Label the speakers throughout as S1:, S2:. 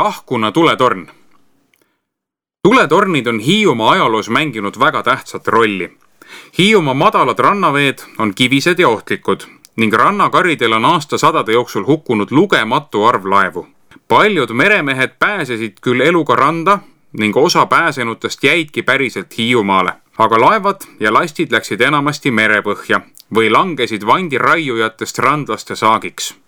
S1: Tahkuna tuletorn. Tuletornid on Hiiumaa ajaloos mänginud väga tähtsat rolli. Hiiumaa madalad rannaveed on kivised ja ohtlikud ning rannakaridel on aastasadade jooksul hukkunud lugematu arv laevu. Paljud meremehed pääsesid küll eluga randa ning osa pääsenutest jäidki päriselt Hiiumaale, aga laevad ja lastid läksid enamasti merepõhja või langesid vandiraiujatest randlaste saagiks.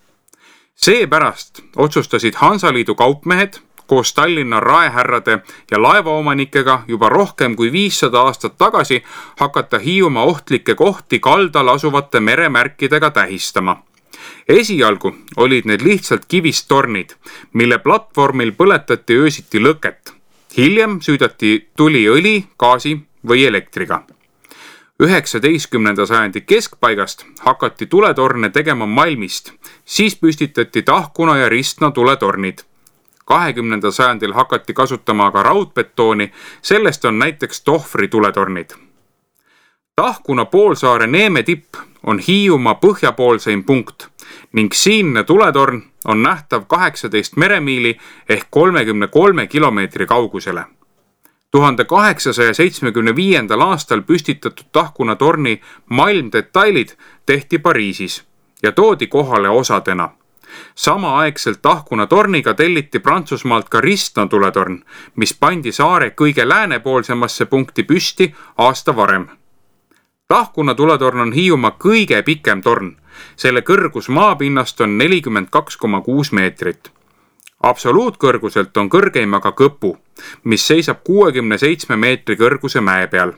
S1: Seepärast otsustasid Hansaliidu kaupmehed koos Tallinna raehärrade ja laevaomanikega juba rohkem kui 500 aastat tagasi hakata Hiiumaa ohtlikke kohti kaldal asuvate meremärkidega tähistama. Esialgu olid need lihtsalt kivist tornid, mille platvormil põletati öösiti lõket. Hiljem süüdati tuli õli, gaasi või elektriga. 19. sajandi keskpaigast hakati tuletorne tegema malmist, siis püstitati Tahkuna ja Ristna tuletornid. 20. sajandil hakati kasutama aga raudbetooni, sellest on näiteks Tohvri tuletornid. Tahkuna poolsaare Neeme tipp on Hiiumaa põhjapoolseim punkt ning siinne tuletorn on nähtav 18 meremiili ehk 33 kilomeetri kaugusele. 1875. aastal püstitatud Tahkuna torni malmdetailid tehti Pariisis ja toodi kohale osadena. Samaaegselt Tahkuna torniga telliti Prantsusmaalt ka Ristna tuletorn, mis pandi saare kõige läänepoolsemasse punkti püsti aasta varem. Tahkuna tuletorn on Hiiumaa kõige pikem torn. Selle kõrgus maapinnast on 42,6 meetrit. Absoluutkõrguselt on kõrgeim aga Kõpu, mis seisab 67 meetri kõrguse mäe peal.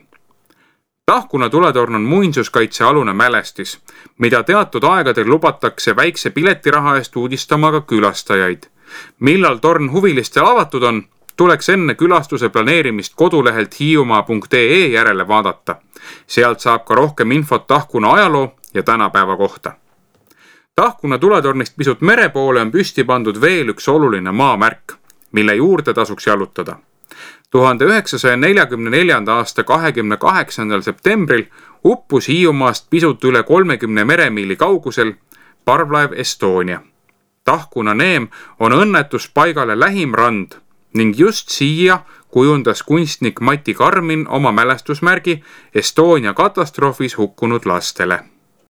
S1: Tahkuna tuletorn on muinsuskaitsealune mälestis, mida teatud aegadel lubatakse väikse piletiraha eest uudistama ka külastajaid. Millal torn huvilistele avatud on, tuleks enne külastuse planeerimist kodulehelt hiiumaa.ee järele vaadata. Sealt saab ka rohkem infot Tahkuna ajaloo ja tänapäeva kohta. Tahkuna tuletornist pisut mere poole on püsti pandud veel üks oluline maamärk, mille juurde tasuks jalutada. 1944. aasta 28. septembril uppus Hiiumaast pisut üle 30 meremiili kaugusel parvlaev Estonia. Tahkuna neem on õnnetuspaigale lähim rand ning just siia kujundas kunstnik Mati Karmin oma mälestusmärgi Estonia katastroofis hukkunud lastele.